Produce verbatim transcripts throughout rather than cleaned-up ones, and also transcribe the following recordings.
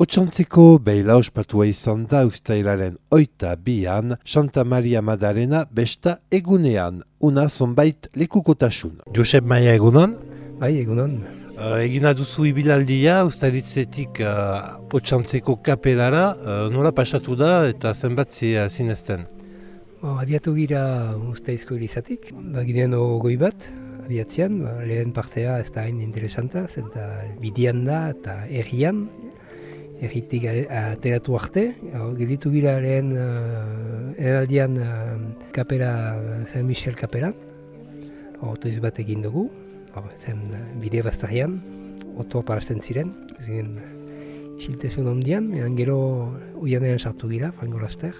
Otxantzeko beila ospatua izan da uztailaren oita bian, Santa Maria Madalena besta egunean, una zonbait lekukotasun. Josep Maia egunon? Bai, egunon. Uh, egina duzu ibilaldia, ustaritzetik uh, Otxantzeko kapelara, uh, nola pasatu da eta zenbat zinezten? Bo, abiatu gira Uztaizko irizatik, baginen ogoi bat, abiatzean, ba, lehen partea ez da hain interesanta, zenta bidian da eta errian, erritik ateratu arte. Geditu gira lehen uh, eraldian uh, kapera, Saint Michel kapera, otoiz bat egin dugu, or, zen uh, bide baztarian, oto parasten ziren, ziren isiltezun ondian, edan gero uianean sartu gira, frango laster,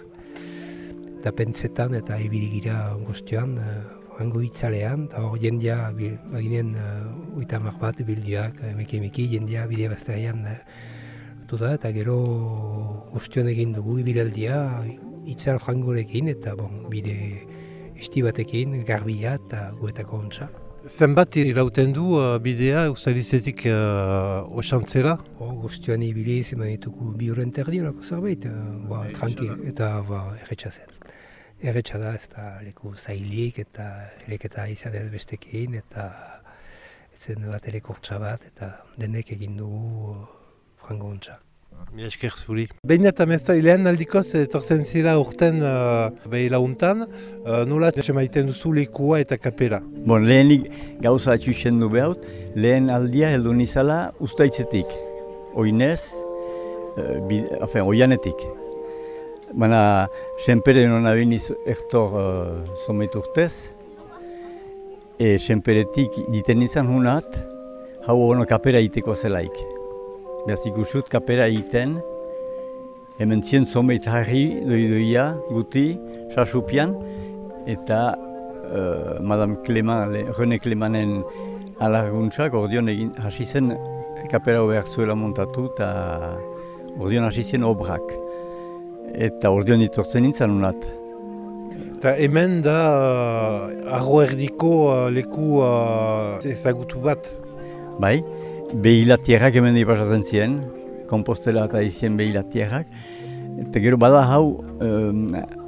eta pentsetan eta ibili gira guztioan, uh, frango itzalean, eta hor jendia, baginen uh, uitamak bat bildiak, emeki emeki, jendia bide baztarian uh, da, eta gero guztion egin dugu ibilaldia itzal frangorekin eta bon, bide esti batekin, garbia eta guetako ontsa. Zenbat irauten du uh, bidea ustaritzetik uh, Otxantzera? Oh, guztioan ibili zeman ditugu bi horren terdi horako zerbait, uh, ba, tranqui, eta ba, erretxa zen. Erretxa da ez da leku zailik eta eleketa izan ez bestekin eta etzen bat elekortza bat eta denek egin dugu uh, frango ontsa. Mi esker zuri. Behin eta mezta lehen aldikoz etortzen zira urten uh, behila untan, uh, nola maiten duzu lekua eta kapera? Bon, lehenik gauza atxusen du behaut, lehen aldia heldu nizala Uztaitzetik, oinez, uh, bi, afen, oianetik. Baina, senpere nona biniz ertor uh, zomet urtez, e senperetik diten nizan hunat, hau ono kapera iteko zelaik. Beaz ikusut kapera egiten, hemen zien zomeit harri doidoia guti, sasupian, eta uh, Madame Clément, René Clémenten alarguntzak ordion egin hasi zen kapera behar zuela montatu eta ordion hasi zen obrak. Eta ordion itortzen nintzen unat. Eta hemen da uh, arro erdiko uh, leku uh, ezagutu bat? Bai. Behilatierrak hemen ipasatzen ziren, kompostela eta izien behilatierrak. Eta gero bada hau, um,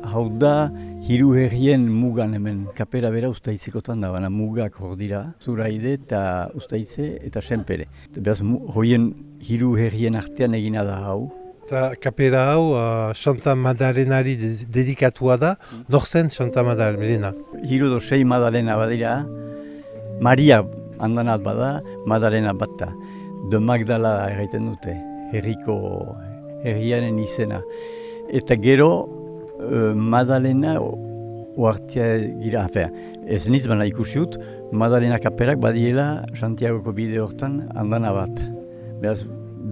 hau da hiru herrien mugan hemen. Kapera bera Uztaitzekotan da, baina mugak hor dira. Zuraide eta Uztaitze eta Senpere. Beraz, hoien hiru herrien artean egina da hau. Eta kapera hau uh, Santa Madalenari dedikatua da. Nor zen Santa Madalena? Hiru do sei Madalena badira. Maria handanat bada, Madalena bat da. De Magdala erraiten dute, herriko herriaren izena. Eta gero, uh, Madalena oartia gira, afea, ez niz bana ikusiut, Madalena kaperak badiela Santiagoko bide hortan handana bat. Beraz,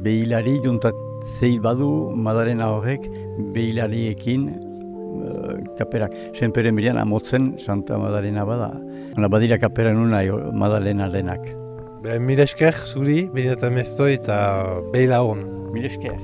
behilari juntat zei badu Madalena horrek behilariekin uh, kaperak. Senperen berian amotzen Santa Madalena bada. Hona badira kapera nuna Madalena denak. Mil esker zuri, behin eta meztoi eta behila hon. Mil esker.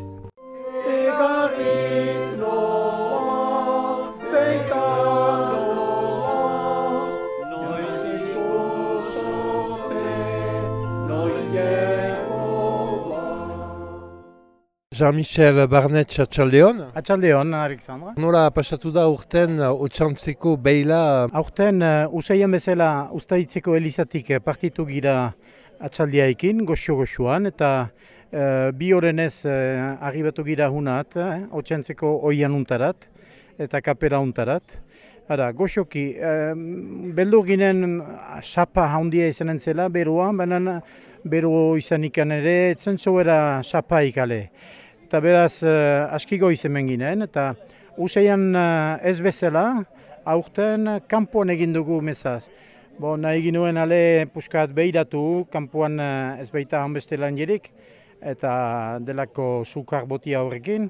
Jean-Michel Barnet, atxaldeon. Atxaldeon, Alexandra. Nola pasatu da urten Otxantzeko beila? Aurten uh, usaien bezala Uztaitzeko elizatik partitu gira atxaldiaikin, goxo-goxoan, eta uh, bi horrenez uh, arribatu gira hunat, eh, Otxantzeko oian untarat eta kapera untarat. Hara, goxoki, uh, beldur ginen xapa handia izanen zela, beruan, baina beru izan ikan ere, etzen zoera xapa ikale. Eta beraz, uh, askiko izemen ginen, eta usaian uh, ez bezala, aurten kanpoan egin dugu mezaz. Bo, nahi ginuen ale puskat behiratu, kanpoan uh, ez baita hanbeste lan jerik, eta delako sukar botia horrekin.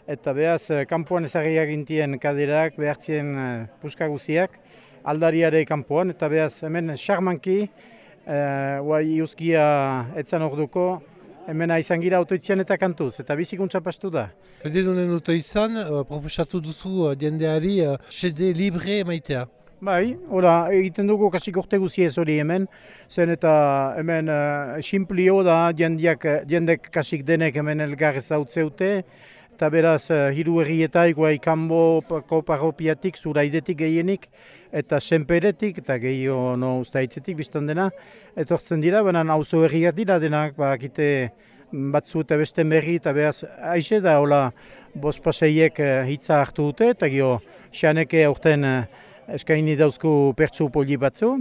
Eta beraz, uh, kanpoan ezagriak gintien kaderak, behartzien uh, puska guziak, aldariare kanpoan, eta beraz, hemen xarmanki, uh, guai iuzkia etzan orduko, hemen izan gira autoitzian eta kantuz, eta bizikuntza pastu da. Fede dunen autoizan, uh, proposatu duzu uh, jendeari uh, xede libre maitea. Bai, ora, egiten dugu kasik urte guziez hori hemen, zen eta hemen uh, simplio da, jendiak, jendek kasik denek hemen elgar ezautzeute, eta beraz uh, hiru herrietaik, guai kanboko parropiatik, zuraidetik gehienik, eta senperetik, eta gehiago no ustaitzetik biztan dena, etortzen dira, baina auzo herriak dira denak, bakite batzu eta beste berri, eta beraz, aixe da, hola, bost paseiek uh, hitza hartu dute, eta gio, xaneke aurten uh, eskaini dauzku pertsu poli batzu,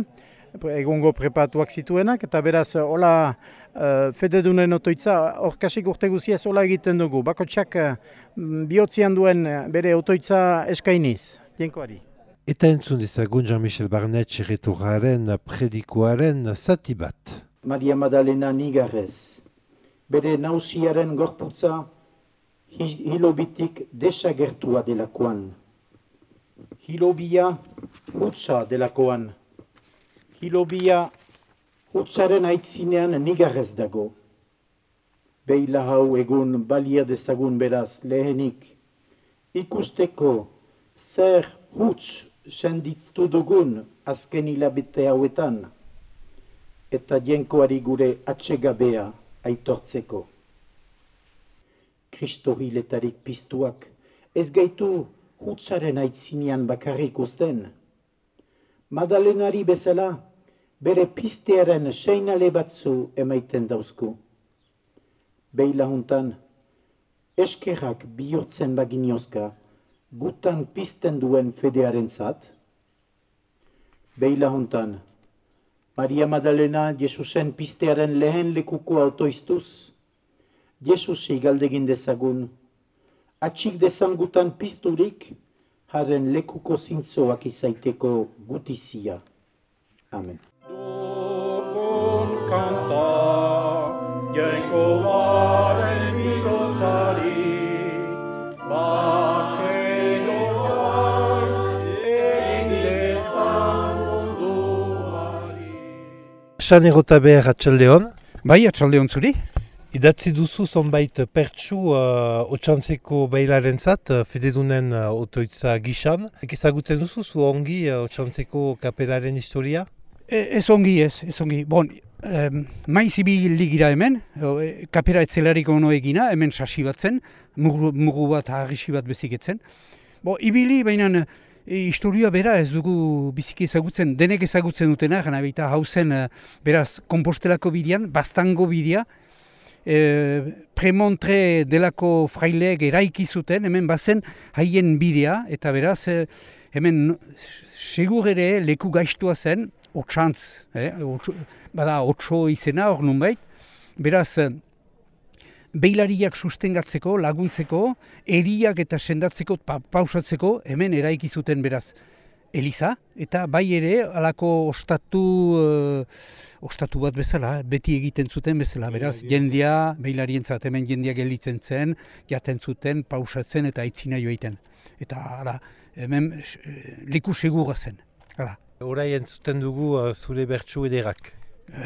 egungo prepatuak zituenak, eta beraz, hola, uh, fededunen otoitza, hor kasik urte guziaz hola egiten dugu. Bakotsak uh, bihotzian duen bere otoitza eskainiz, jenkoari. Eta entzun dezagun Jean-Michel Barnet txerreturraren predikoaren zati bat. Maria Madalena nigarrez, bere nausiaren gorputza hilobitik desagertua delakoan. Hilobia hutsa delakoan. Hilobia hutsaren aitzinean nigarrez dago. Beila hau egun balia dezagun beraz lehenik. Ikusteko zer huts senditztu dugun azken hilabete hauetan. Eta jenkoari gure atsegabea aitortzeko. Kristo hiletarik piztuak ez gaitu hutsaren aitzinean bakarrik uzten. Madalenari bezala, bere piztearen seinale batzu emaiten dauzku. Beila juntan, eskerrak bihurtzen baginiozka, gutan pizten duen fedearen zat. Beila juntan, Maria Madalena Jesusen piztearen lehen lekuko autoiztuz, Jesusi galdegin dezagun, atxik dezan gutan pizturik, haren lekuko zintzoak izaiteko gutizia. Amen. Dukun kanta, jenkoaren bilotzari, bakeloan egin dezan munduari. San Erotaber atxaldeon. Bai, atxaldeon zuri. Idatzi duzu zonbait pertsu uh, otxantzeko beilaren zat, uh, fededunen uh, otoitza gisan. Ezagutzen duzu zu ongi uh, otxantzeko kapelaren historia? E, ez ongi ez, ez ongi. Bon, um, maiz ibili gira hemen, e, kapera etzelarik ono egina, hemen sasi batzen, mugu, mugu bat harrisi bat beziketzen. Bo, ibili, baina e, historia bera ez dugu biziki ezagutzen, denek ezagutzen dutena, gana baita hauzen e, beraz Kompostelako bidean, Bastango bidea, E, premontre delako fraileek eraiki zuten, hemen bazen haien bidea, eta beraz, e, hemen segur ere leku gaiztua zen, otxantz, eh, otxo, bada otxo izena hor nunbait, beraz, e, beilariak sustengatzeko, laguntzeko, eriak eta sendatzeko, pa, pausatzeko, hemen eraiki zuten beraz. Eliza, eta bai ere alako ostatu, uh, ostatu bat bezala, beti egiten zuten bezala, beraz, jendia, beilarientzat hemen jendia gelditzen zen, jaten zuten, pausatzen eta aitzina joiten. Eta ara, hemen leku segura zen. Ara. Horai entzuten dugu uh, zure bertsu ederak.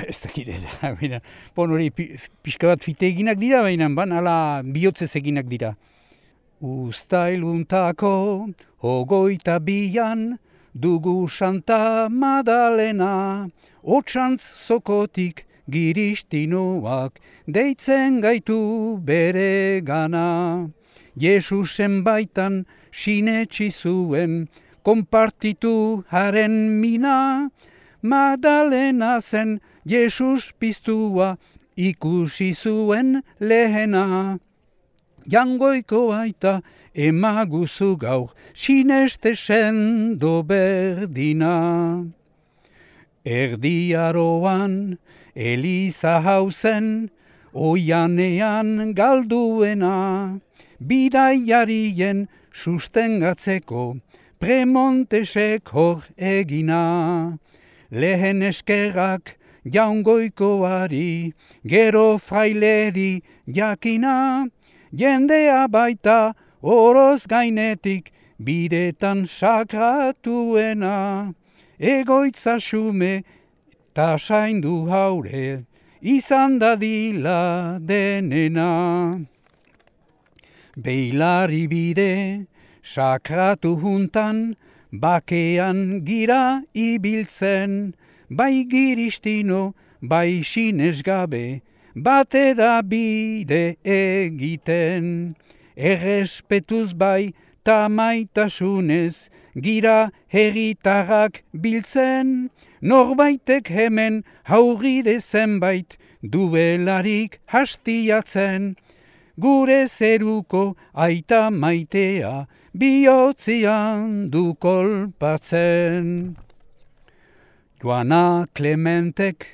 Ez dakit edera, bon hori pixka bat fite eginak dira, baina ban ala bihotzez eginak dira. Uztailuntako, ogoita bian, dugu Santa Madalena, otsantz zokotik giristinoak, deitzen gaitu bere gana. Jesusen baitan sinetsi zuen, konpartitu haren mina, Madalena zen Jesus piztua, ikusi zuen lehena. Jangoiko baita emaguzu gaur, sineste sendo berdina. Erdiaroan Eliza hauzen, oianean galduena, bidaiarien sustengatzeko, Premontesek hor egina. Lehen eskerrak jaungoikoari, gero fraileri jakina, jendea baita oroz gainetik bidetan sakratuena. Egoitza xume ta saindu haure, izan dadila denena. Beilari bide sakratu juntan, bakean gira ibiltzen, bai giristino, bai sinesgabe, bate da bide egiten. Errespetuz bai tamaitasunez, gira herritarrak biltzen, norbaitek hemen hauride zenbait, duelarik hastiatzen. Gure zeruko aita maitea, bihotzian du kolpatzen. Joana Klementek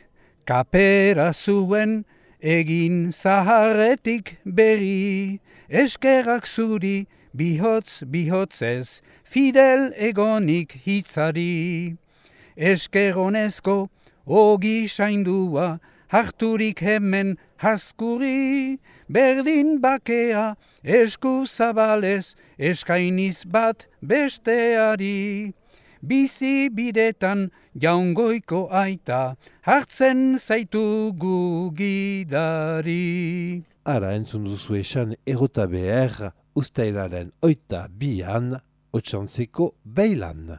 kapera zuen, egin zaharretik berri, eskerrak zuri bihotz bihotzez, fidel egonik hitzari. Eskeronezko ogi saindua, harturik hemen haskuri, berdin bakea esku zabalez, eskainiz bat besteari. Bizi bidetan jaungoiko aita, hartzen zaitugu gidari. Ara entzun duzu esan erota behar, ustailaren oita bian, otxantzeko beilan.